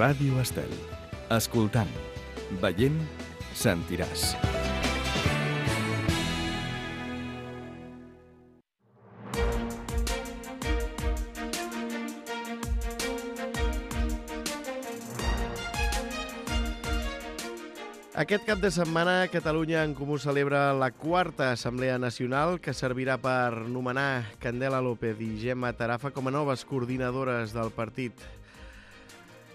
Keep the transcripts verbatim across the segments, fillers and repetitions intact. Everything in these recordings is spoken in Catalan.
Ràdio Estel. Escoltant, veient, sentiràs. Aquest cap de setmana, Catalunya en Comú celebra la quarta Assemblea Nacional, que servirà per nomenar Candela López i Gemma Tarafa com a noves coordinadores del partit.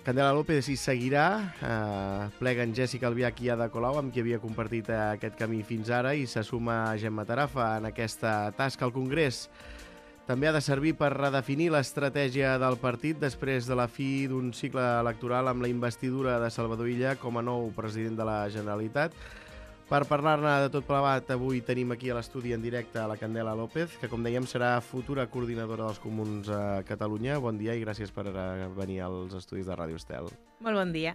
Candela López hi seguirà, eh, pleguen Jèssica Albiach i Ada Colau, amb qui havia compartit aquest camí fins ara, i se suma Gemma Tarafa en aquesta tasca al Congrés. També ha de servir per redefinir l'estratègia del partit després de la fi d'un cicle electoral amb la investidura de Salvador Illa com a nou president de la Generalitat. Per parlar-ne de tot plegat, avui tenim aquí a l'estudi en directe a la Candela López, que, com dèiem, serà futura coordinadora dels Comuns a Catalunya. Bon dia i gràcies per venir als estudis de Ràdio Estel. Molt bon dia.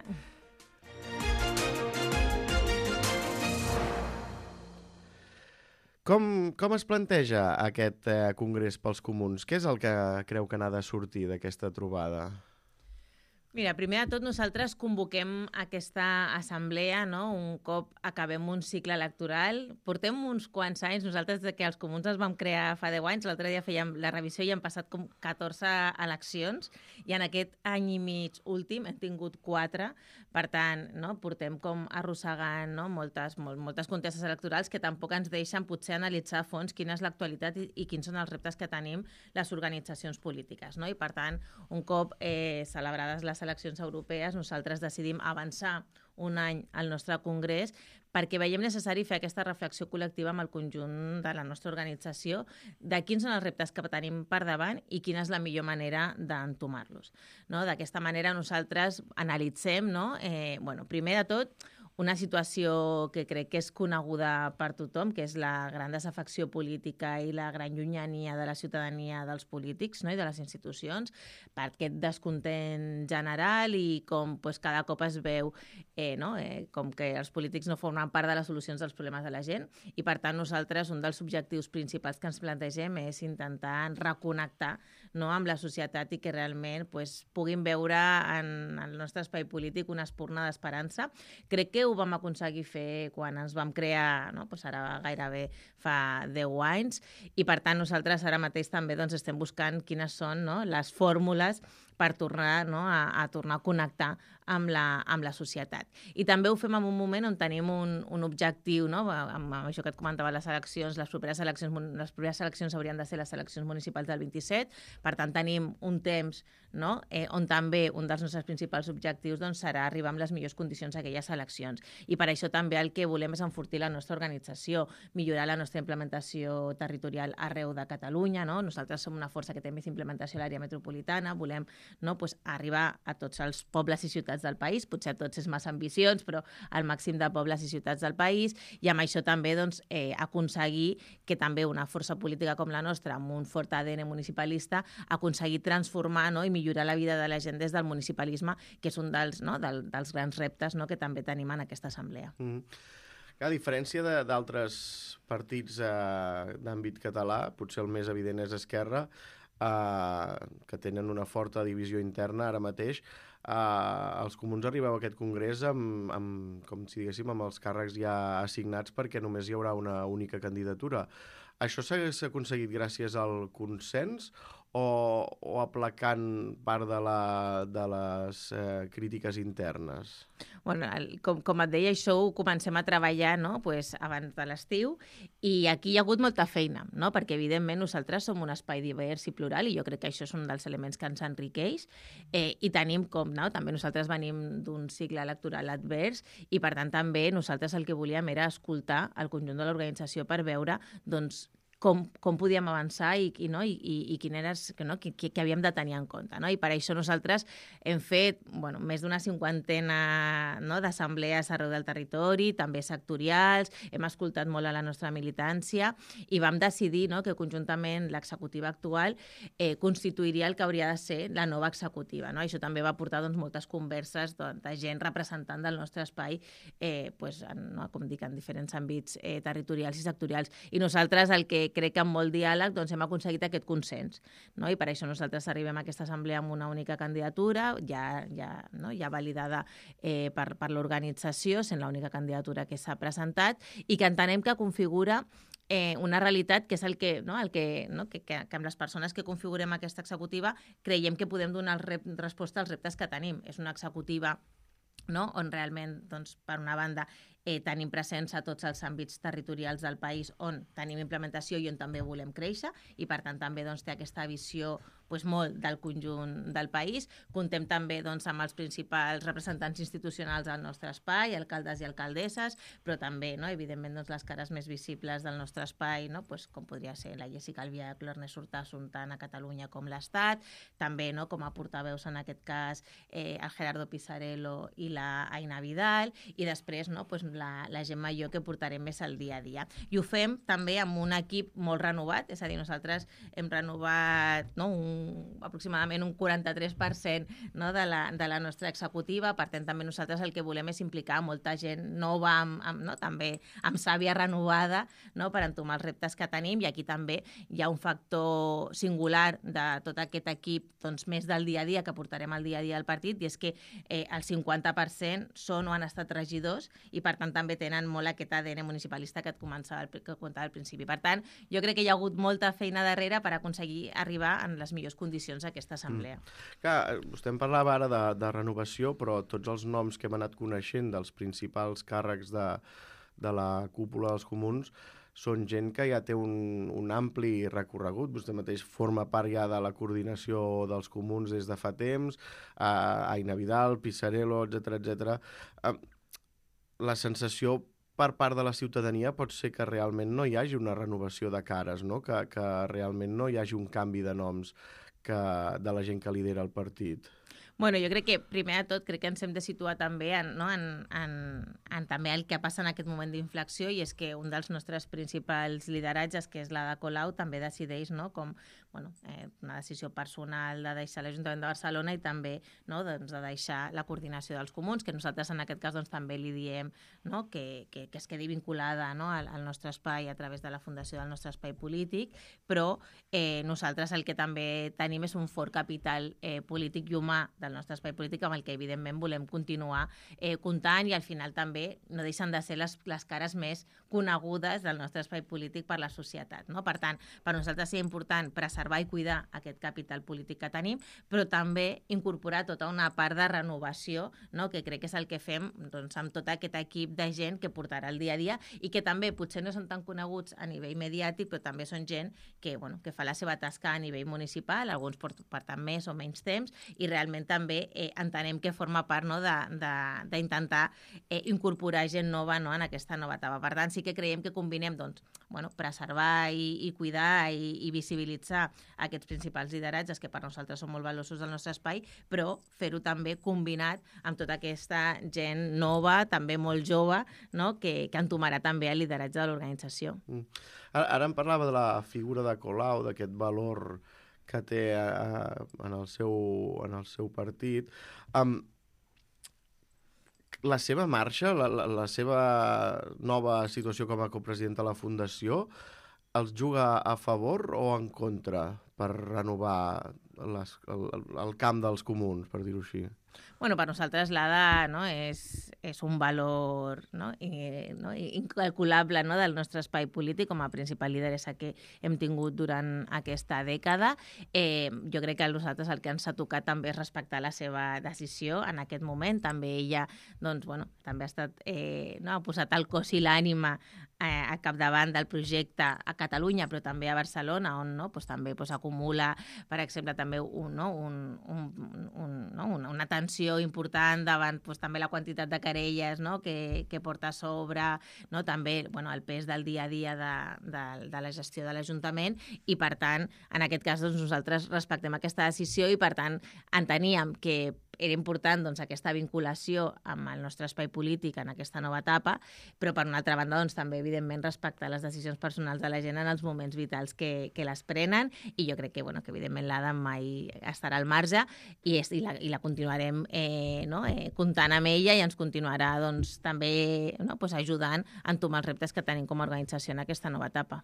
Com, com es planteja aquest eh, congrés pels comuns? Què és el que creu que n'ha de sortir d'aquesta trobada? Mira, primer de tot nosaltres convoquem aquesta assemblea, no? Un cop acabem un cicle electoral. Portem uns quants anys, nosaltres de que els comuns els vam crear fa deu anys, l'altre dia fèiem la revisió i han passat com catorze eleccions i en aquest any i mig últim hem tingut quatre. Per tant, no? Portem com arrossegant, no? moltes, molt, moltes contestes electorals que tampoc ens deixen potser analitzar a fons quina és l'actualitat i, i quins són els reptes que tenim les organitzacions polítiques. No? I per tant, un cop eh, celebrades les eleccions europees, nosaltres decidim avançar un any al nostre congrés perquè veiem necessari fer aquesta reflexió col·lectiva amb el conjunt de la nostra organització de quins són els reptes que tenim per davant i quina és la millor manera d'entomar-los. No? D'aquesta manera nosaltres analitzem, no? eh, bueno, primer de tot, una situació que crec que és coneguda per tothom, que és la gran desafecció política i la gran llunyania de la ciutadania dels polítics, no? I de les institucions, per aquest descontent general i com pues, cada cop es veu eh, no? eh, com que els polítics no formen part de les solucions dels problemes de la gent i per tant nosaltres un dels objectius principals que ens plantegem és intentar reconnectar, no? amb la societat i que realment pues, puguin veure en el nostre espai polític una espurna d'esperança. Crec que ho vam aconseguir fer quan ens vam crear, no? pues ara gairebé fa deu anys, i per tant nosaltres ara mateix també doncs, estem buscant quines són no? les fórmules per tornar, no? a, a tornar a connectar amb la, amb la societat. I també ho fem en un moment on tenim un, un objectiu, no? amb, amb això que et comentava, les eleccions, les properes eleccions, les properes eleccions haurien de ser les eleccions municipals del vint-i-set, per tant tenim un temps no? eh, on també un dels nostres principals objectius doncs, serà arribar amb les millors condicions a aquelles eleccions. I per això també el que volem és enfortir la nostra organització, millorar la nostra implementació territorial arreu de Catalunya. No? Nosaltres som una força que té més implementació a l'àrea metropolitana, volem no? pues, arribar a tots els pobles i ciutats del país, potser tots és massa ambicions, però al màxim de pobles i ciutats del país, i amb això també doncs, eh, aconseguir que també una força política com la nostra, amb un fort A D N municipalista, aconseguir transformar no? i millorar la vida de la gent des del municipalisme, que és un dels, no? del, dels grans reptes no? que també tenim en aquesta assemblea. Mm. A diferència d'altres partits eh, d'àmbit català, potser el més evident és Esquerra, eh, que tenen una forta divisió interna ara mateix. Uh, els comuns arribeu a aquest congrés amb, amb, com si diguéssim, amb els càrrecs ja assignats perquè només hi haurà una única candidatura. Això s'ha aconseguit gràcies al consens o, o aplacant part de, la, de les eh, crítiques internes? Bueno, el, com, com et deia, això ho comencem a treballar no? pues, abans de l'estiu i aquí hi ha hagut molta feina, no? perquè evidentment nosaltres som un espai divers i plural i jo crec que això és un dels elements que ens enriqueix eh, i tenim com, no? també nosaltres venim d'un cicle electoral advers i per tant també nosaltres el que volíem era escoltar el conjunt de l'organització per veure doncs, Com, com podíem avançar i, i, no? I, i, i quin era, que, no? que, que havíem de tenir en compte. No? I per això nosaltres hem fet bueno, més d'una cinquantena no? d'assemblees arreu del territori, també sectorials, hem escoltat molt a la nostra militància i vam decidir no? que conjuntament l'executiva actual eh, constituiria el que hauria de ser la nova executiva. No? Això també va portar doncs, moltes converses de, de gent representant del nostre espai, eh, pues, en, no? com dic, en diferents àmbits eh, territorials i sectorials. I nosaltres el que crec que amb molt diàleg doncs, hem aconseguit aquest consens. No? I per això nosaltres arribem a aquesta assemblea amb una única candidatura, ja, ja, no? ja validada eh, per, per l'organització, sent l'única candidatura que s'ha presentat, i que entenem que configura Eh, una realitat que és el que, no, el que, no, que, que, que amb les persones que configurem aquesta executiva creiem que podem donar el rep, resposta als reptes que tenim. És una executiva, no, on realment, doncs, per una banda, eh, tenim presència a tots els àmbits territorials del país on tenim implementació i on també volem créixer, i per tant també doncs, té aquesta visió doncs, molt del conjunt del país. Contem també doncs, amb els principals representants institucionals del nostre espai, alcaldes i alcaldesses, però també, no, evidentment, doncs, les cares més visibles del nostre espai, no, doncs, com podria ser la Jessica Albiach, l'Ernest Urtasun, tant a Catalunya com l'Estat, també no, com a portaveus en aquest cas eh, el Gerardo Pisarello i la Aina Vidal, i després no, doncs, la, la Gemma i jo que portarem més al dia a dia. I ho fem també amb un equip molt renovat, és a dir, nosaltres hem renovat no, un aproximadament un quaranta-tres per cent no, de, la, de la nostra executiva. Per tant, també nosaltres el que volem és implicar molta gent nova, amb, amb, no, també amb sàvia renovada, no, per entomar els reptes que tenim, i aquí també hi ha un factor singular de tot aquest equip doncs, més del dia a dia que portarem al dia a dia al partit, i és que eh, el cinquanta per cent són o han estat regidors i per tant també tenen molt aquest A D N municipalista que et començava, que comentava al principi. Per tant, jo crec que hi ha hagut molta feina darrere per aconseguir arribar en les millors condicions a aquesta assemblea. Mm. Clar, vostè em parlava ara de, de renovació, però tots els noms que hem anat coneixent dels principals càrrecs de, de la cúpula dels comuns són gent que ja té un, un ampli recorregut. Vostè mateix forma part ja de la coordinació dels comuns des de fa temps, eh, Aina Vidal, Pisarello, etcètera, etcètera. Eh, la sensació per part de la ciutadania pot ser que realment no hi hagi una renovació de cares, no? que, que realment no hi hagi un canvi de noms que, de la gent que lidera el partit. Bueno, jo crec que, primer de tot, crec que ens hem de situar també en, no, en, en, en també el que passa en aquest moment d'inflexió, i és que un dels nostres principals lideratges, que és la de Colau, també decideix no, com bueno, eh, una decisió personal de deixar l'Ajuntament de Barcelona i també no, doncs, de deixar la coordinació dels comuns, que nosaltres en aquest cas doncs, també li diem no, que, que, que es quedi vinculada no, al, al nostre espai a través de la fundació del nostre espai polític, però eh, nosaltres el que també tenim és un fort capital eh, polític i humà del nostre espai polític amb el que evidentment volem continuar eh, comptant, i al final també no deixen de ser les, les cares més conegudes del nostre espai polític per la societat. No? Per tant, per nosaltres és important preservar i cuidar aquest capital polític que tenim, però també incorporar tota una part de renovació, no? que crec que és el que fem doncs, amb tot aquest equip de gent que portarà el dia a dia i que també potser no són tan coneguts a nivell mediàtic, però també són gent que, bueno, que fa la seva tasca a nivell municipal, alguns porten més o menys temps, i realment també eh, entenem que forma part no, d'intentar eh, incorporar gent nova no, en aquesta nova etapa. Per tant, sí que creiem que combinem doncs, bueno, preservar i, i cuidar i, i visibilitzar aquests principals lideratges que per nosaltres són molt valiosos del nostre espai, però fer-ho també combinat amb tota aquesta gent nova, també molt jove, no, que, que entomarà també el lideratge de l'organització. Mm. Ara, ara em parlava de la figura de Colau, d'aquest valor que té uh, en, el seu, en el seu partit. Um, la seva marxa, la, la, la seva nova situació com a copresidenta de la Fundació, els juga a favor o en contra per renovar les, el, el camp dels comuns, per dir-ho així? Bueno, per nosaltres l'A D A no, és, és un valor no, i, no, incalculable no, del nostre espai polític com a principal lideressa que hem tingut durant aquesta dècada. Eh, jo crec que a nosaltres el que ens ha tocat també és respectar la seva decisió en aquest moment. També ella doncs, bueno, també ha, estat, eh, no, ha posat el cos i l'ànima eh, a capdavant del projecte a Catalunya, però també a Barcelona, on no, doncs, també doncs, acumula, per exemple, també un, no, un, un, un, no, una, una tensió important davant doncs, també la quantitat de querelles no, que, que porta a sobre, no, també bueno, el pes del dia a dia de, de, de la gestió de l'Ajuntament, i per tant, en aquest cas doncs, nosaltres respectem aquesta decisió i per tant enteníem que era important doncs, aquesta vinculació amb el nostre espai polític en aquesta nova etapa, però per una altra banda doncs, també evidentment respectar les decisions personals de la gent en els moments vitals que, que les prenen, i jo crec que, bueno, que evidentment l'A D A mai estarà al marge i, és, i, la, i la continuarem eh, no, eh, comptant amb ella, i ens continuarà doncs, també no, pues, ajudant a entomar els reptes que tenim com a organització en aquesta nova etapa.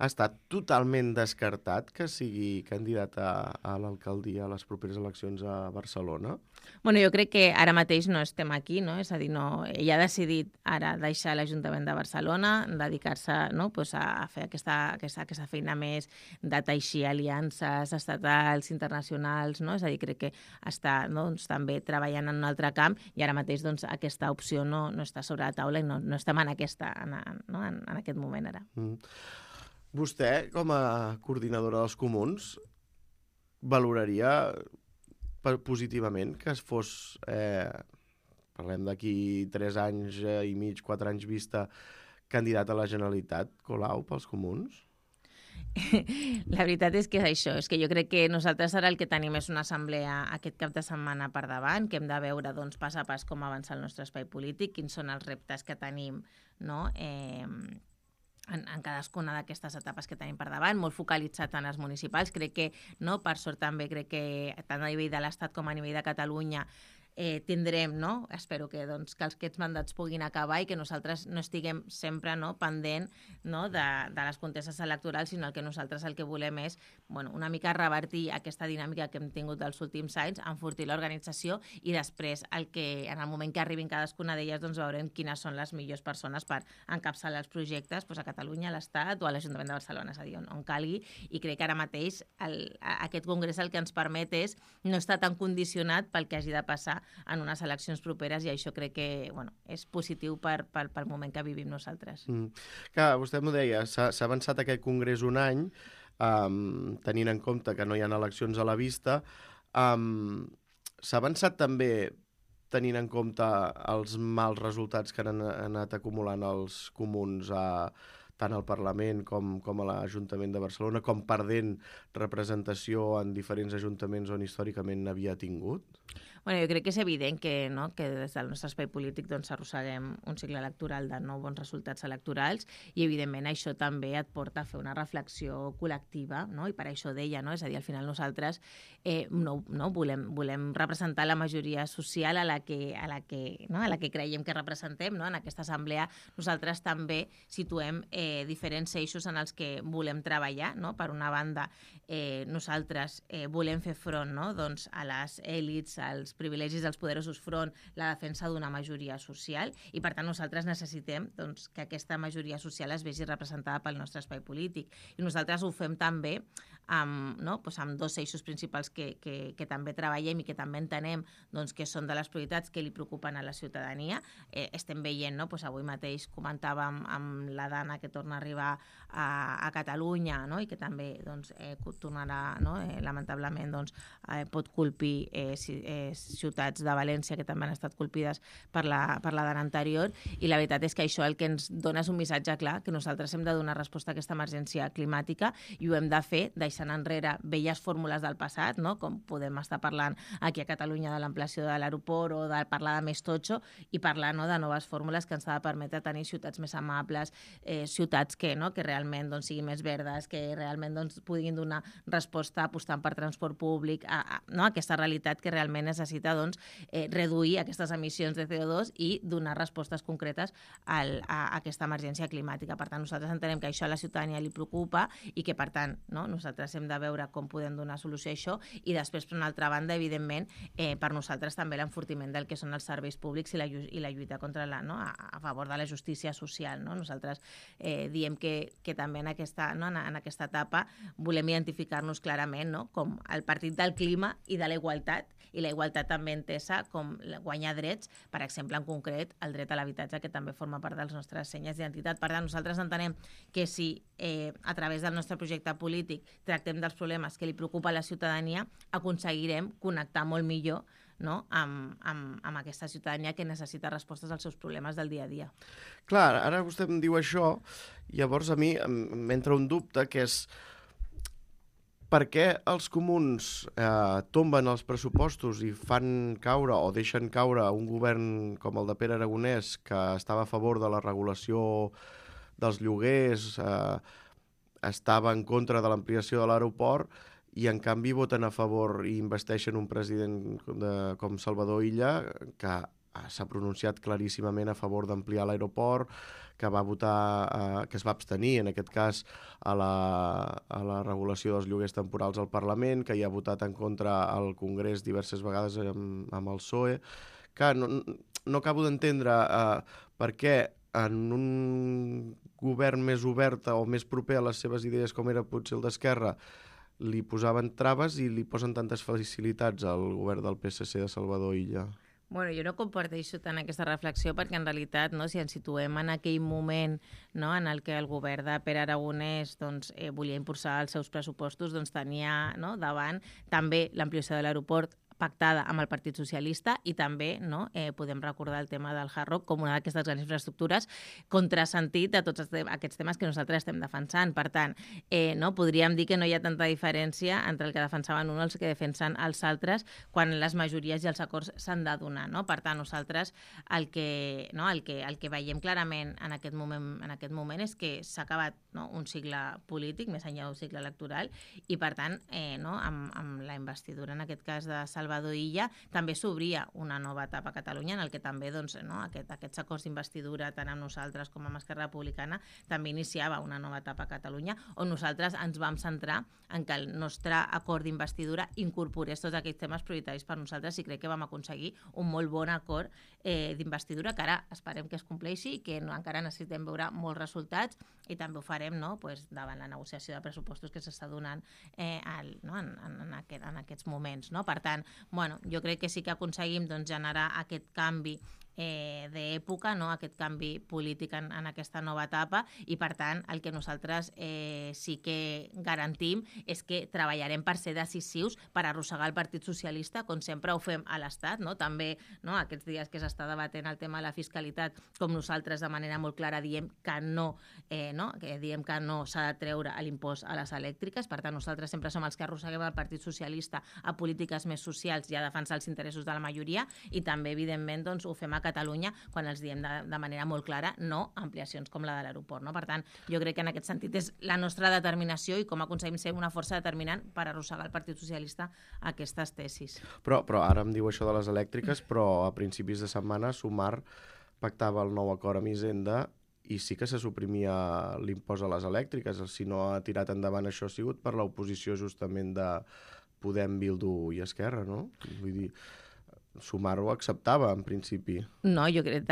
està totalment descartat que sigui candidat a, a l'alcaldia a les properes eleccions a Barcelona? Bueno, jo crec que ara mateix no estem aquí, no? És a dir, no, ell ha decidit ara deixar l'Ajuntament de Barcelona, dedicar-se, no? pues a fer aquesta, aquesta, aquesta feina més de teixir aliances estatals, internacionals, no? És a dir, crec que està, doncs, també treballant en un altre camp i ara mateix doncs, aquesta opció no, no està sobre la taula i no, no estem en, aquesta, en, no? en, en aquest moment ara. Mm. Vostè, com a coordinadora dels comuns, valoraria positivament que es fos, eh, parlem d'aquí tres anys i mig, quatre anys vista, candidat a la Generalitat, Colau, pels comuns? La veritat és que és això, és que jo crec que nosaltres ara el que tenim és una assemblea aquest cap de setmana per davant, que hem de veure doncs, pas a pas com avança el nostre espai polític, quins són els reptes que tenim, no?, eh, En, en cadascuna d'aquestes etapes que tenim per davant, molt focalitzat en els municipals. Crec que, no, per sort també, crec que tant a nivell de l'Estat com a nivell de Catalunya eh, tindrem, no? Espero que, doncs, que aquests mandats puguin acabar i que nosaltres no estiguem sempre, no, pendent, no, de, de les contestes electorals, sinó el que nosaltres el que volem és, bueno, una mica revertir aquesta dinàmica que hem tingut dels últims anys, enfortir l'organització i després el que, en el moment que arribin cadascuna d'elles, doncs veurem quines són les millors persones per encapçalar els projectes doncs, a Catalunya, a l'Estat o a l'Ajuntament de Barcelona, és a dir, on, on calgui, i crec que ara mateix el, aquest congrés el que ens permet és no estar tan condicionat pel que hagi de passar en unes eleccions properes, i això crec que, bueno, és positiu per, per, pel moment que vivim nosaltres. Mm. Clar, vostè m'ho deia, s'ha avançat aquest congrés un any, um, tenint en compte que no hi ha eleccions a la vista. Um, s'ha avançat també tenint en compte els mals resultats que han anat acumulant els comuns a tant al Parlament com, com a l'Ajuntament de Barcelona, com perdent representació en diferents ajuntaments on històricament n'havia tingut? Bueno, jo crec que és evident que, no, que des del nostre espai polític doncs, arrosseguem un cicle electoral de no bons resultats electorals i, evidentment, això també et porta a fer una reflexió col·lectiva, no? I per això deia, no? És a dir, al final nosaltres eh, no, no, volem, volem representar la majoria social a la que, a la que, no? a la que creiem que representem, no? En aquesta assemblea nosaltres també situem eh, diferents eixos en els que volem treballar, no? Per una banda, eh, nosaltres eh, volem fer front, no? doncs, a les èlits, als privilegis dels poderosos front la defensa d'una majoria social i, per tant, nosaltres necessitem doncs, que aquesta majoria social es vegi representada pel nostre espai polític. I nosaltres ho fem també amb, no? pues amb dos eixos principals que, que, que també treballem i que també entenem doncs, que són de les prioritats que li preocupen a la ciutadania. Eh, estem veient, no? pues avui mateix comentàvem amb la Dana que torna a arribar a, a Catalunya, no? i que també doncs, eh, tornarà, no? eh, lamentablement doncs, eh, pot colpir eh, si, eh, ciutats de València que també han estat colpides per la, per la Dana anterior, i la veritat és que això el que ens dona és un missatge clar, que nosaltres hem de donar resposta a aquesta emergència climàtica i ho hem de fer deixant enrere velles fórmules del passat, no? com podem estar parlant aquí a Catalunya de l'ampliació de l'aeroport o de parlar de més totxo, i parlar, no? de noves fórmules que ens ha de permetre tenir ciutats més amables, eh, ciutats que, no? que realment doncs, siguin més verdes, que realment doncs, puguin donar resposta apostant per transport públic, a, a, no? aquesta realitat que realment necessita doncs, eh, reduir aquestes emissions de C O dos i donar respostes concretes al, a, a aquesta emergència climàtica. Per tant, nosaltres entenem que això a la ciutadania li preocupa i que, per tant, no, nosaltres hem de veure com podem donar solució a això, i després, per una altra banda, evidentment, eh, per nosaltres també l'enfortiment del que són els serveis públics i la, i la lluita contra la, no, a, a favor de la justícia social. No? Nosaltres eh, diem que, que també en aquesta, no, en, en aquesta etapa volem identificar-nos clarament, no, com el partit del clima i de la igualtat, i la igualtat també entesa com guanyar drets, per exemple, en concret, el dret a l'habitatge, que també forma part dels nostres senyes d'identitat. Per tant, nosaltres entenem que si eh, a través del nostre projecte polític tractem dels problemes que li preocupa a la ciutadania, aconseguirem connectar molt millor, no? amb, amb, amb aquesta ciutadania que necessita respostes als seus problemes del dia a dia. Clar, ara vostè em diu això, i llavors a mi m'entra un dubte, que és per què els comuns eh, tomben els pressupostos i fan caure o deixen caure un govern com el de Pere Aragonès, que estava a favor de la regulació dels lloguers, eh, estava en contra de l'ampliació de l'aeroport, i en canvi voten a favor i investeixen un president de, com Salvador Illa, que s'ha pronunciat claríssimament a favor d'ampliar l'aeroport, que va votar, eh, que es va abstenir, en aquest cas, a la, a la regulació dels lloguers temporals al Parlament, que hi ha votat en contra al Congrés diverses vegades amb, amb el P S O E. Que no, no acabo d'entendre eh, per què en un govern més obert o més proper a les seves idees com era potser el d'Esquerra li posaven traves i li posen tantes facilitats al govern del P S C de Salvador Illa. Bueno, jo no comparteixo tant aquesta reflexió perquè en realitat, no, si ens situem en aquell moment, no, en el que el govern de Pere Aragonès doncs, eh, volia impulsar els seus pressupostos, doncs tenia, no, davant també l'ampliació de l'aeroport pactada amb el Partit Socialista i també, no, eh, podem recordar el tema del Hard Rock com una d'aquestes grans infraestructures contrasentit de tots aquests temes que nosaltres estem defensant. Per tant, eh, no, podríem dir que no hi ha tanta diferència entre el que defensaven uns i el que defensen els altres quan les majories i els acords s'han de donar. No? Per tant, nosaltres el que, no, el que, el que veiem clarament en aquest moment, en aquest moment és que s'ha acabat, no, un cicle polític, més enllà d'un cicle electoral, i per tant, eh, no, amb, amb la investidura, en aquest cas de Salvador Illa, també s'obria una nova etapa a Catalunya en el que també doncs, no, aquest, aquests acords d'investidura tant amb nosaltres com amb Esquerra Republicana també iniciava una nova etapa a Catalunya on nosaltres ens vam centrar en que el nostre acord d'investidura incorporés tots aquests temes prioritaris per nosaltres i crec que vam aconseguir un molt bon acord eh, d'investidura que ara esperem que es compleixi i que no, encara necessitem veure molts resultats i també ho farem, no, pues, davant la negociació de pressupostos que s'està donant eh, al, no, en, en, en, aquest, en aquests moments. No? Per tant, bueno, jo crec que sí que aconseguim doncs, generar aquest canvi eh, d'època, no? Aquest canvi polític en, en aquesta nova etapa i per tant el que nosaltres eh, sí que garantim és que treballarem per ser decisius per arrossegar el Partit Socialista com sempre ho fem a l'Estat, no? També, no, aquests dies que s'està debatent el tema de la fiscalitat, com nosaltres de manera molt clara diem que no, eh, no? Que diem que no s'ha de treure l'impost a les elèctriques, per tant nosaltres sempre som els que arrosseguem el Partit Socialista a polítiques més socials i a defensar els interessos de la majoria i també evidentment doncs, ho fem a Catalunya quan els diem de, de manera molt clara no a ampliacions com la de l'aeroport. No? Per tant, jo crec que en aquest sentit és la nostra determinació i com aconseguim ser una força determinant per arrossegar el Partit Socialista a aquestes tesis. Però, però ara em diu això de les elèctriques, però a principis de setmana Sumar pactava el nou acord amb Hisenda i sí que se suprimia l'impost a les elèctriques. Si no ha tirat endavant això ha sigut per l'oposició justament de Podem, Bildu i Esquerra, no? Vull dir, Sumar ho acceptava, en principi. No, jo crec,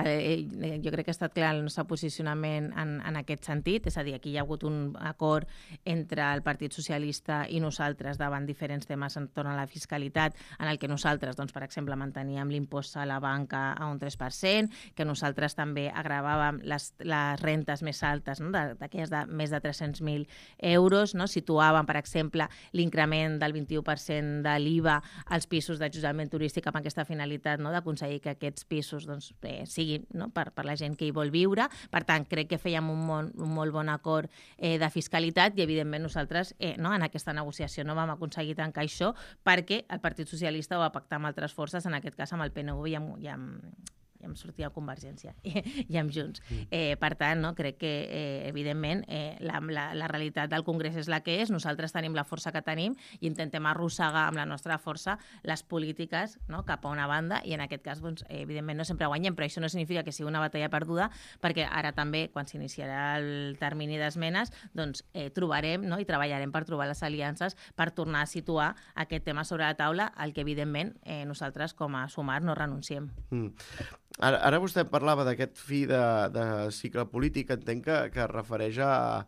jo crec que ha estat clar el nostre posicionament en, en aquest sentit, és a dir, aquí hi ha hagut un acord entre el Partit Socialista i nosaltres davant diferents temes entorn a la fiscalitat, en el que nosaltres, doncs, per exemple, manteníem l'impost a la banca a un tres per cent, que nosaltres també agravàvem les, les rentes més altes, no? d'aquelles de més de tres-cents mil euros, no? Situàvem, per exemple, l'increment del vint-i-u per cent de l'I V A als pisos d'allotjament turístic amb aquesta finalitat, no? d'aconseguir que aquests pisos doncs, eh, siguin, no? per, per la gent que hi vol viure. Per tant, crec que fèiem un, mon, un molt bon acord eh, de fiscalitat i, evidentment, nosaltres eh, no? en aquesta negociació no vam aconseguir tancar això perquè el Partit Socialista ho va pactar amb altres forces, en aquest cas amb el P N V i amb, i amb i em sortia Convergència i, i amb Junts. Eh, per tant, no, crec que, eh, evidentment, eh, la, la, la realitat del Congrés és la que és, nosaltres tenim la força que tenim i intentem arrossegar amb la nostra força les polítiques, no, cap a una banda i en aquest cas, doncs, eh, evidentment, no sempre guanyem, però això no significa que sigui una batalla perduda perquè ara també, quan s'iniciarà el termini d'esmenes, doncs, eh, trobarem, no, i treballarem per trobar les aliances per tornar a situar aquest tema sobre la taula, al que, evidentment, eh, nosaltres, com a Sumar, no renunciem. Mm. Ara, ara vostè parlava d'aquest fi de, de cicle polític, entenc que, que es refereix a,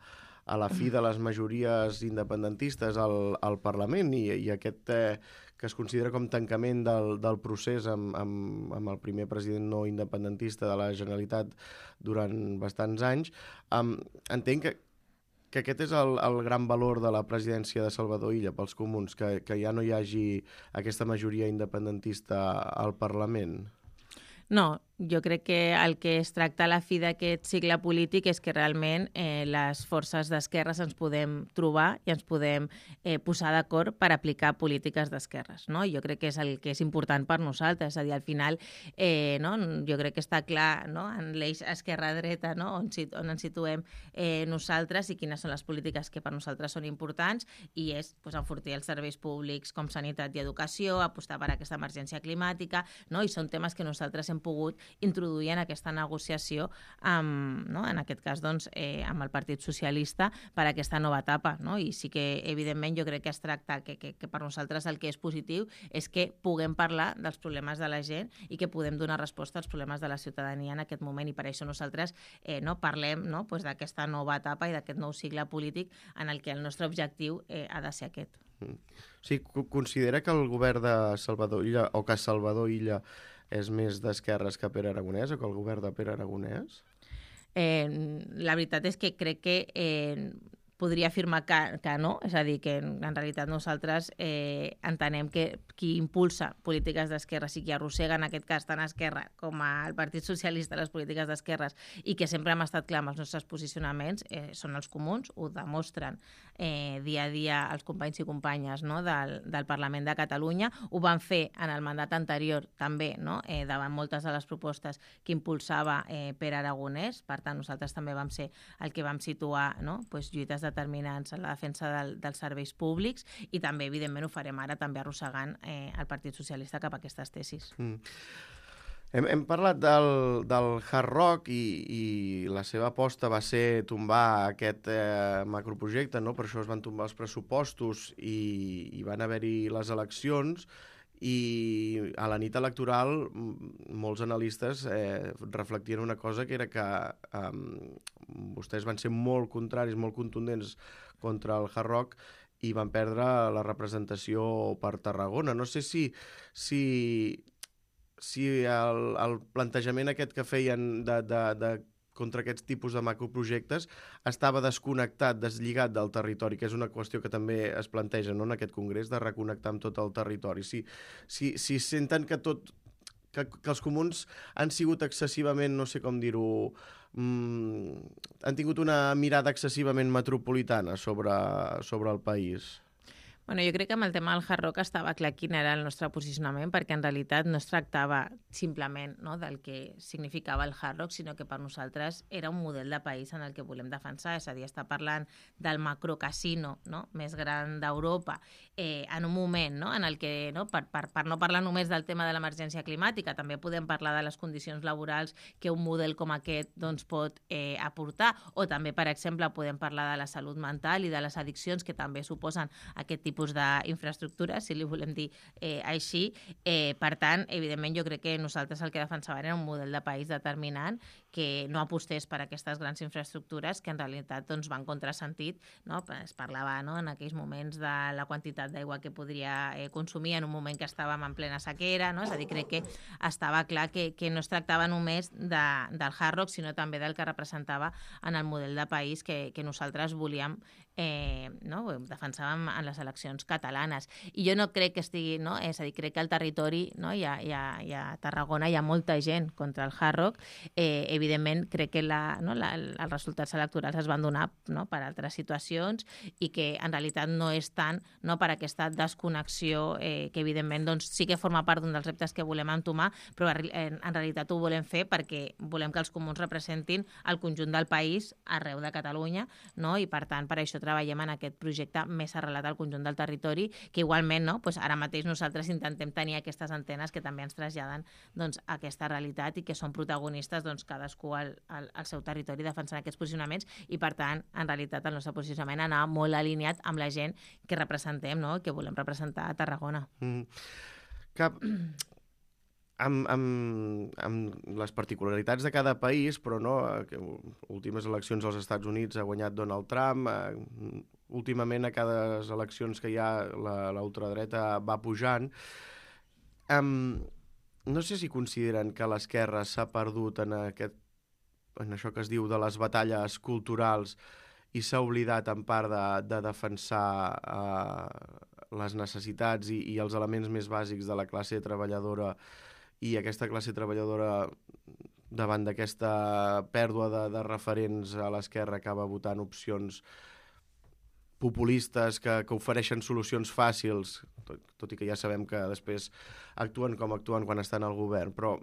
a la fi de les majories independentistes al, al Parlament i, i aquest eh, que es considera com tancament del, del procés amb, amb, amb el primer president no independentista de la Generalitat durant bastants anys. Um, entenc que que aquest és el, el gran valor de la presidència de Salvador Illa pels comuns, que, que ja no hi hagi aquesta majoria independentista al Parlament. No, jo crec que el que es tracta a la fi d'aquest cicle polític és que realment eh, les forces d'esquerres ens podem trobar i ens podem eh, posar d'acord per aplicar polítiques d'esquerres, no? Jo crec que és el que és important per nosaltres, és a dir, al final eh, no? jo crec que està clar, no? En l'eix esquerra-dreta, no? on, on ens situem eh, nosaltres i quines són les polítiques que per nosaltres són importants, i és pues, enfortir els serveis públics com sanitat i educació, apostar per aquesta emergència climàtica, no? I són temes que nosaltres hem pogut introduir en aquesta negociació amb, no? en aquest cas doncs, eh, amb el Partit Socialista per a aquesta nova etapa. No? I sí que, evidentment, jo crec que es tracta que, que, que per nosaltres el que és positiu és que puguem parlar dels problemes de la gent i que podem donar resposta als problemes de la ciutadania en aquest moment, i per això nosaltres eh, no, parlem no? pues d'aquesta nova etapa i d'aquest nou cicle polític en el que el nostre objectiu eh, ha de ser aquest. Mm. Sí, considera que el govern de Salvador Illa o que Salvador Illa és més d'esquerres que Pere Aragonès o que el govern de Pere Aragonès? Eh, la veritat és que crec que eh, podria afirmar que, que no, és a dir, que en, en realitat nosaltres eh, entenem que qui impulsa polítiques d'esquerres i qui arrossega en aquest cas tant a Esquerra com al Partit Socialista les polítiques d'esquerres i que sempre hem estat clar amb els nostres posicionaments eh, són els comuns, ho demostren eh, dia a dia els companys i companyes no, del, del Parlament de Catalunya, ho van fer en el mandat anterior també, no, eh, davant moltes de les propostes que impulsava eh, Pere Aragonès, per tant nosaltres també vam ser el que vam situar no, pues, lluites determinants en la defensa del, dels serveis públics, i també evidentment ho farem ara també arrossegant eh, el Partit Socialista cap a aquestes tesis. Mm. Hem, hem parlat del, del Hard Rock i, i la seva aposta va ser tombar aquest eh, macroprojecte, no? Per això es van tombar els pressupostos i, i van haver-hi les eleccions, i a la nit electoral molts analistes eh, reflectien una cosa, que era que eh, vostès van ser molt contraris, molt contundents contra el Hard Rock i van perdre la representació per Tarragona. No sé si, si, si el, el plantejament aquest que feien de, de, de contra aquests tipus de macroprojectes estava desconnectat, deslligat del territori, que és una qüestió que també es planteja no, en aquest congrés, de reconnectar amb tot el territori. Si, si, si senten que tot que, que els comuns han sigut excessivament, no sé com dir-ho, mmm, han tingut una mirada excessivament metropolitana sobre, sobre el país. Bueno, jo crec que amb el tema del Hard Rock estava clar quin era el nostre posicionament, perquè en realitat no es tractava simplement no, del que significava el Hard Rock, sinó que per nosaltres era un model de país en el que volem defensar, és a dir, està parlant del macrocasino no, més gran d'Europa, eh, en un moment no, en el que, no, per, per, per no parlar només del tema de l'emergència climàtica, també podem parlar de les condicions laborals que un model com aquest doncs, pot eh, aportar, o també, per exemple, podem parlar de la salut mental i de les addiccions que també suposen aquest tipus tipus d'infraestructures, si li volem dir eh, així. Eh, per tant, evidentment, jo crec que nosaltres el que defensàvem era un model de país determinant que no apostés per aquestes grans infraestructures que en realitat doncs, van contrasentit. No? Es parlava no, en aquells moments de la quantitat d'aigua que podria eh, consumir en un moment que estàvem en plena sequera. No? És a dir, crec que estava clar que, que no es tractava només de, del Hard Rock, sinó també del que representava en el model de país que, que nosaltres volíem eh, no? defensàvem en les eleccions catalanes. I jo no crec que estigui, no? És a dir, crec que al territori, no? I, a, i, a, i a Tarragona hi ha molta gent contra el Hard Rock. Eh, evidentment, crec que la, no? la, els resultats electorals es van donar no? per altres situacions i que en realitat no és tant no? per aquesta desconnexió eh, que evidentment doncs, sí que forma part d'un dels reptes que volem entomar, però en, en realitat ho volem fer perquè volem que els comuns representin el conjunt del país arreu de Catalunya, no? I per tant per això treballem en aquest projecte més arrelat al conjunt del territori, que igualment no? pues ara mateix nosaltres intentem tenir aquestes antenes que també ens traslladen doncs, aquesta realitat i que són protagonistes doncs, cadascú al, al, al seu territori defensant aquests posicionaments i per tant en realitat el nostre posicionament anar molt alineat amb la gent que representem, no? que volem representar a Tarragona. Mm. Cap... Amb, amb, amb les particularitats de cada país, però no, que últimes eleccions als Estats Units ha guanyat Donald Trump, eh, últimament a cada eleccions que hi ha la ultradreta va pujant. Um, no sé si consideren que l'esquerra s'ha perdut en, aquest, en això que es diu de les batalles culturals i s'ha oblidat en part de, de defensar eh, les necessitats i, i els elements més bàsics de la classe treballadora i aquesta classe treballadora davant d'aquesta pèrdua de, de referents a l'esquerra acaba votant opcions populistes que, que ofereixen solucions fàcils, tot, tot i que ja sabem que després actuen com actuen quan estan al govern, però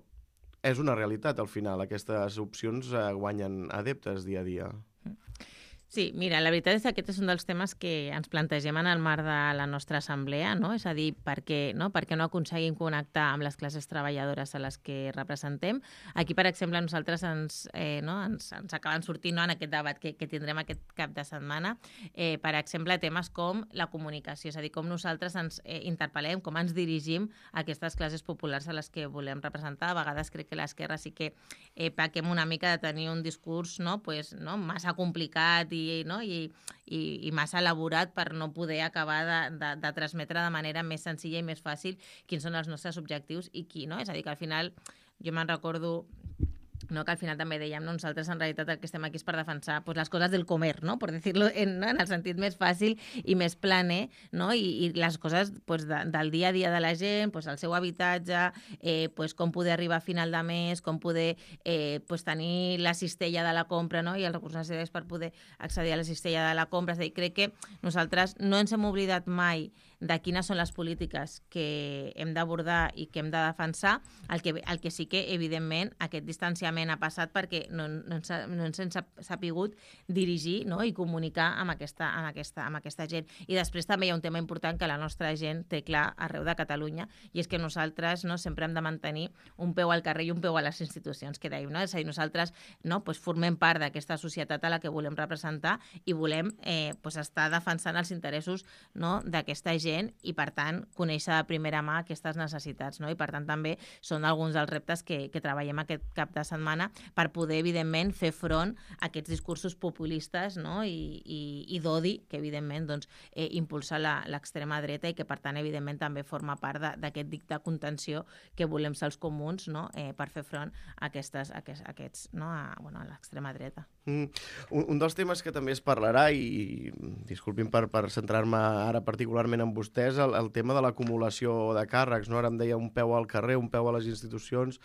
és una realitat al final, aquestes opcions eh, guanyen adeptes dia a dia. Sí, mira, la veritat és que aquest és un dels temes que ens plantegem en el marc de la nostra assemblea, no? És a dir, per què no, per què no aconseguim connectar amb les classes treballadores a les que representem. Aquí, per exemple, nosaltres ens, eh, no, ens, ens acaben sortint no, en aquest debat que, que tindrem aquest cap de setmana, eh, per exemple, temes com la comunicació, és a dir, com nosaltres ens eh, interpel·lem, com ens dirigim a aquestes classes populars a les que volem representar. A vegades crec que l'esquerra sí que eh, pequem una mica de tenir un discurs no, pues, no, massa complicat i I, no? I, i, i massa elaborat per no poder acabar de, de, de transmetre de manera més senzilla i més fàcil quins són els nostres objectius i qui, no? És a dir, que al final jo me'n recordo no, que al final també dèiem, no? Nosaltres en realitat el que estem aquí és per defensar pues, les coses del comer, no? Per dir-lo en, no? en el sentit més fàcil i més planer, no? I, i les coses pues, de, del dia a dia de la gent, pues, el seu habitatge, eh, pues, com poder arribar a final de mes, com poder eh, pues, tenir la cistella de la compra, no? I els recursos necessaris per poder accedir a la cistella de la compra. És a dir, crec que nosaltres no ens hem oblidat mai de quines són les polítiques que hem d'abordar i que hem de defensar, el que, el que sí que, evidentment, aquest distanciament ha passat perquè no, no, ens, no ens hem sapigut dirigir no? I comunicar amb aquesta, amb, aquesta, amb aquesta gent. I després també hi ha un tema important que la nostra gent té clar arreu de Catalunya i és que nosaltres no, sempre hem de mantenir un peu al carrer i un peu a les institucions, que dèiem, no? És a dir, nosaltres no, pues, formem part d'aquesta societat a la que volem representar i volem eh, pues, estar defensant els interessos no, d'aquesta gent i, per tant, conèixer de primera mà aquestes necessitats. No? I, per tant, també són alguns dels reptes que, que treballem aquest cap de setmana per poder, evidentment, fer front a aquests discursos populistes no? I, i, i d'odi que, evidentment, doncs, eh, impulsa l'extrema dreta i que, per tant, evidentment, també forma part d'aquest dic de contenció que volem ser els comuns no? eh, per fer front a, aquestes, a aquests, a aquests no? a, bueno, a l'extrema dreta. Mm. Un, un dels temes que també es parlarà, i, i disculpin per, per centrar-me ara particularment en vostès, el, el tema de l'acumulació de càrrecs. No? Ara em deia un peu al carrer, un peu a les institucions.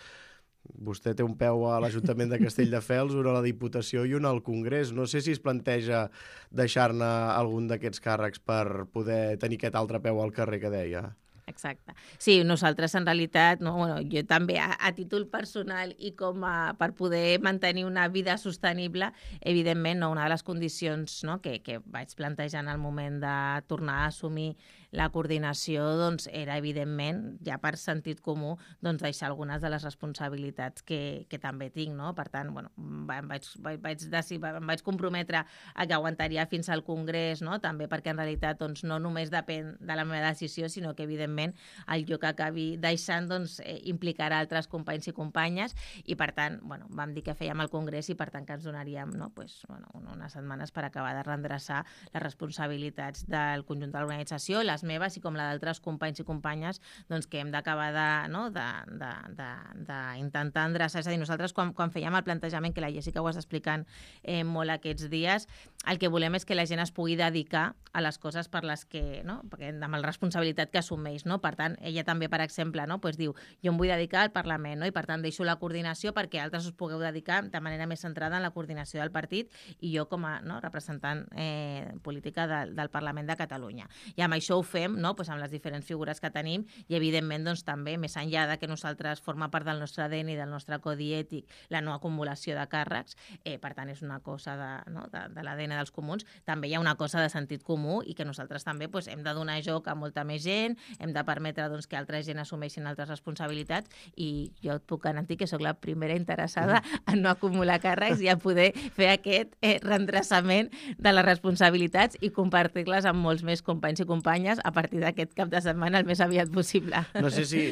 Vostè té un peu a l'Ajuntament de Castelldefels, un a la Diputació i un al Congrés. No sé si es planteja deixar-ne algun d'aquests càrrecs per poder tenir aquest altre peu al carrer que deia. Exacte. Sí, nosaltres en realitat, no, bueno, jo també a, a títol personal i com a, per poder mantenir una vida sostenible, evidentment, no, una de les condicions no, que, que vaig plantejar en el moment de tornar a assumir la coordinació doncs, era, evidentment, ja per sentit comú, doncs, deixar algunes de les responsabilitats que, que també tinc. No? Per tant, bueno, em, vaig, vaig, vaig decidir, em vaig comprometre a que aguantaria fins al Congrés, no? També perquè en realitat doncs, no només depèn de la meva decisió, sinó que, evidentment, el lloc que acabi deixant doncs, eh, implicarà altres companys i companyes i, per tant, bueno, vam dir que fèiem el Congrés i, per tant, que ens donaríem no? pues, bueno, unes setmanes per acabar de reendreçar les responsabilitats del conjunt de l'organització, les meves i com la d'altres companys i companyes doncs, que hem d'acabar de, no? de, de, de, de intentar endreçar. És a dir, nosaltres quan, quan fèiem el plantejament, que la Jessica ho està explicant eh, molt aquests dies, el que volem és que la gent es pugui dedicar a les coses per les que, no? Perquè amb la responsabilitat que assumeix. No? Per tant, ella també, per exemple, no? pues diu, jo em vull dedicar al Parlament no? I per tant deixo la coordinació perquè altres us pugueu dedicar de manera més centrada en la coordinació del partit i jo com a no? representant eh, política de, del Parlament de Catalunya. I amb això ho fem no? pues amb les diferents figures que tenim i, evidentment, doncs, també, més enllà de que nosaltres forma part del nostre A D N i del nostre codi ètic la no acumulació de càrrecs, eh, per tant, és una cosa de, no? de, de l'A D N dels comuns, també hi ha una cosa de sentit comú i que nosaltres també pues, hem de donar joc a molta més gent, hem de permetre doncs, que altra gent assumeixin altres responsabilitats i jo et puc garantir que sóc la primera interessada en no acumular càrrecs i a poder fer aquest eh, reendreçament de les responsabilitats i compartir-les amb molts més companys i companyes a partir d'aquest cap de setmana el més aviat possible. No sé si,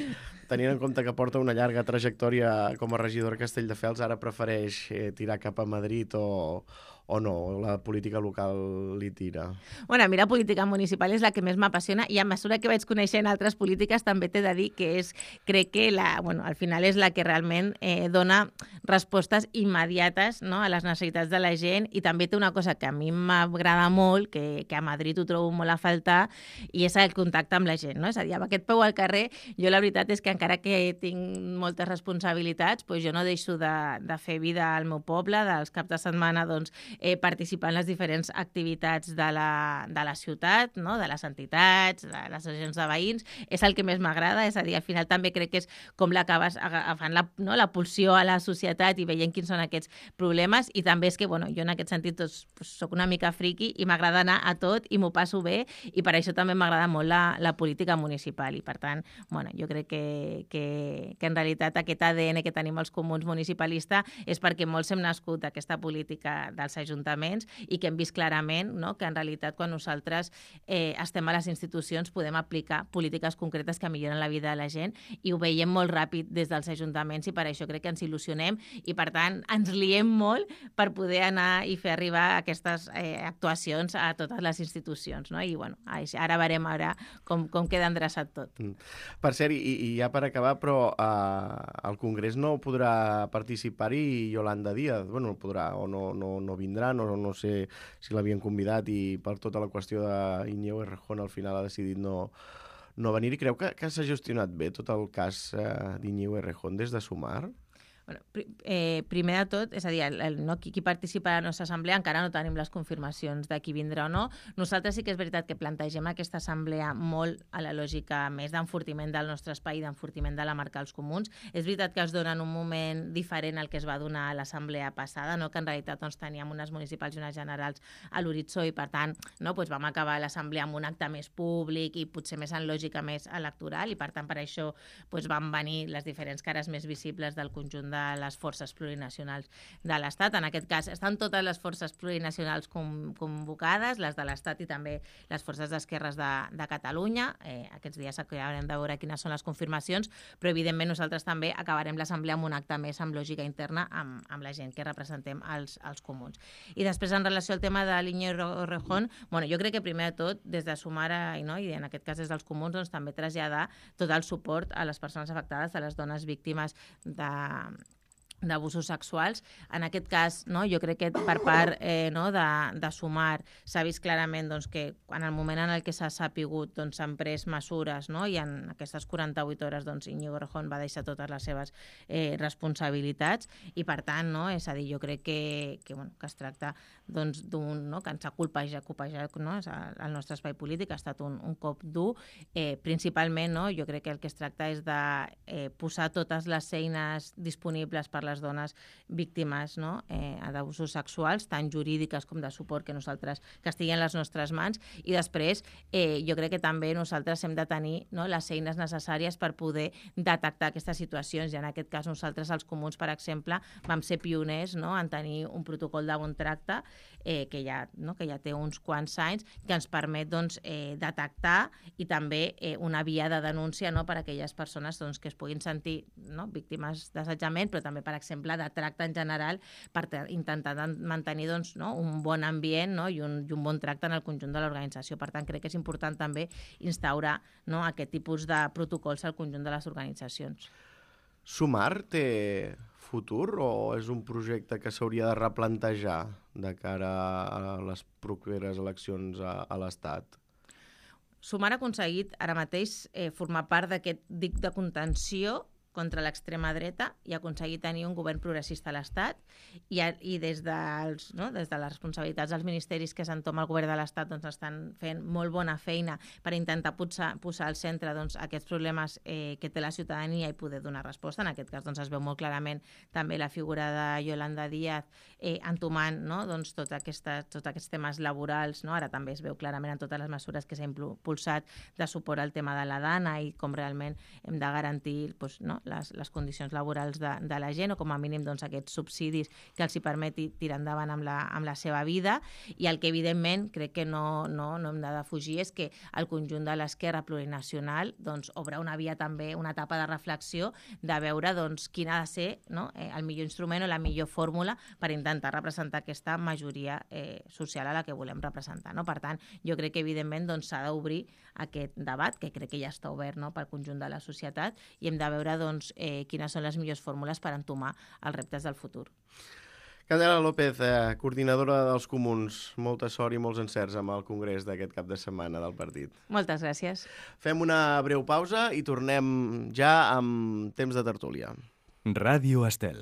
tenint en compte que porta una llarga trajectòria com a regidor a Castelldefels, ara prefereix eh, tirar cap a Madrid o, o no? La política local li tira? Bueno, a mi la política municipal és la que més m'apassiona i a mesura que vaig coneixent altres polítiques també t'he de dir que és, crec que la, bueno, al final és la que realment eh, dona respostes immediates, no?, a les necessitats de la gent, i també té una cosa que a mi m'agrada molt, que, que a Madrid ho trobo molt a faltar, i és el contacte amb la gent, no? És a dir, amb aquest peu al carrer, jo la veritat és que encara que tinc moltes responsabilitats, doncs jo no deixo de, de fer vida al meu poble, dels caps de setmana doncs, eh, participar en les diferents activitats de la, de la ciutat, no?, de les entitats, de les associacions de veïns, és el que més m'agrada, és a dir, al final també crec que és com l'acabes agafant la, no, la pulsió a la societat i veient quins són aquests problemes, i també és que, bueno, jo en aquest sentit doncs, soc una mica friqui i m'agrada anar a tot i m'ho passo bé, i per això també m'agrada molt la, la política municipal, i per tant, bueno, jo crec que, que, que en realitat aquest A D N que tenim els comuns municipalista és perquè molts hem nascut d'aquesta política dels ajuntaments i que hem vist clarament, no?, que en realitat quan nosaltres eh, estem a les institucions podem aplicar polítiques concretes que milloren la vida de la gent, i ho veiem molt ràpid des dels ajuntaments, i per això crec que ens il·lusionem i per tant ens liem molt per poder anar i fer arribar aquestes eh, actuacions a totes les institucions, no? I bueno, ara veurem ara com, com queda endreçat tot. Mm. Per cert, i, i ja per acabar, però eh, al Congrés no podrà participar-hi Yolanda Díaz, bueno, podrà o no, no, no vindrà, no, no sé si l'havien convidat i per tota la qüestió d'Iñigo Errejón al final ha decidit no, no venir, i creu que, que s'ha gestionat bé tot el cas eh, d'Iñigo Errejón des de Sumar? Bueno, eh, primer de tot, és a dir, el, el, no, qui, qui participa a la nostra assemblea encara no tenim les confirmacions de qui vindrà o no. Nosaltres sí que és veritat que plantegem aquesta assemblea molt a la lògica més d'enfortiment del nostre espai, d'enfortiment de la marca dels comuns. És veritat que es dona en un moment diferent al que es va donar a l'assemblea passada, no? Que en realitat doncs, teníem unes municipals i unes generals a l'horitzó, i per tant no, doncs vam acabar l'assemblea amb un acte més públic i potser més en lògica més electoral, i per tant per això doncs, van venir les diferents cares més visibles del conjunt de les forces plurinacionals de l'Estat. En aquest cas estan totes les forces plurinacionals convocades, les de l'Estat i també les forces d'esquerres de, de Catalunya. Eh, aquests dies acabarem de veure quines són les confirmacions, però evidentment nosaltres també acabarem l'assemblea amb un acte més amb lògica interna amb, amb la gent que representem els, els comuns. I després en relació al tema de l'Iñigo Errejón, bueno, jo crec que primer de tot des de Sumar i, no, i en aquest cas des dels comuns doncs, també traslladar tot el suport a les persones afectades, a les dones víctimes de d'abusos sexuals. En aquest cas, no, jo crec que per part eh, no, de, de Sumar s'ha vist clarament doncs, que en el moment en el que s'ha sapigut doncs, s'han pres mesures, no, i en aquestes quaranta-vuit hores doncs, Iñigo Errejón va deixar totes les seves eh, responsabilitats, i per tant, no, és a dir, jo crec que, que, bueno, que es tracta doncs, d'un, no, que ens ha colpejat, colpejat no, el nostre espai polític, ha estat un, un cop dur. Eh, principalment, no, jo crec que el que es tracta és de eh, posar totes les eines disponibles per les dones víctimes, no, eh, d'abusos sexuals, tant jurídiques com de suport que nosaltres, que estigui en les nostres mans, i després eh, jo crec que també nosaltres hem de tenir, no, les eines necessàries per poder detectar aquestes situacions, i en aquest cas nosaltres els comuns, per exemple, vam ser pioners, no, en tenir un protocol de bon tracte eh, que, ja, no, que ja té uns quants anys, que ens permet doncs, eh, detectar i també eh, una via de denúncia, no, per a aquelles persones doncs, que es puguin sentir, no, víctimes d'assetjament, però també, per exemple, de tracte en general, per intentar mantenir doncs, no, un bon ambient, no, i, un, i un bon tracte en el conjunt de l'organització. Per tant, crec que és important també instaurar, no, aquest tipus de protocols al conjunt de les organitzacions. Sumar té futur o és un projecte que s'hauria de replantejar de cara a les properes eleccions a, a l'Estat? Sumar ha aconseguit ara mateix eh, formar part d'aquest dic de contenció contra l'extrema dreta i aconseguir tenir un govern progressista a l'Estat, i, i des, dels, no, des de les responsabilitats dels ministeris que s'entoma el govern de l'Estat doncs, estan fent molt bona feina per intentar posar, posar al centre doncs, aquests problemes eh, que té la ciutadania i poder donar resposta. En aquest cas doncs, es veu molt clarament també la figura de Yolanda Díaz eh, entomant, no, doncs, tot aquesta, tots aquests temes laborals. No? Ara també es veu clarament en totes les mesures que s'ha impulsat de suport al tema de la dana i com realment hem de garantir doncs, no, les, les condicions laborals de, de la gent, o com a mínim doncs, aquests subsidis que els hi permeti tirar endavant amb la, amb la seva vida. I el que evidentment crec que no, no, no hem de defugir és que el conjunt de l'esquerra plurinacional doncs, obre una via també, una etapa de reflexió de veure doncs, quin ha de ser, no? eh, el millor instrument o la millor fórmula per intentar representar aquesta majoria eh, social a la que volem representar. No? Per tant, jo crec que evidentment doncs, s'ha d'obrir aquest debat, que crec que ja està obert, no?, pel conjunt de la societat, i hem de veure doncs, eh, quines són les millors fórmules per entomar els reptes del futur. Candela López, eh, coordinadora dels Comuns, molta sort i molts encerts amb el congrés d'aquest cap de setmana del partit. Moltes gràcies. Fem una breu pausa i tornem ja amb temps de tertúlia. Ràdio Estel.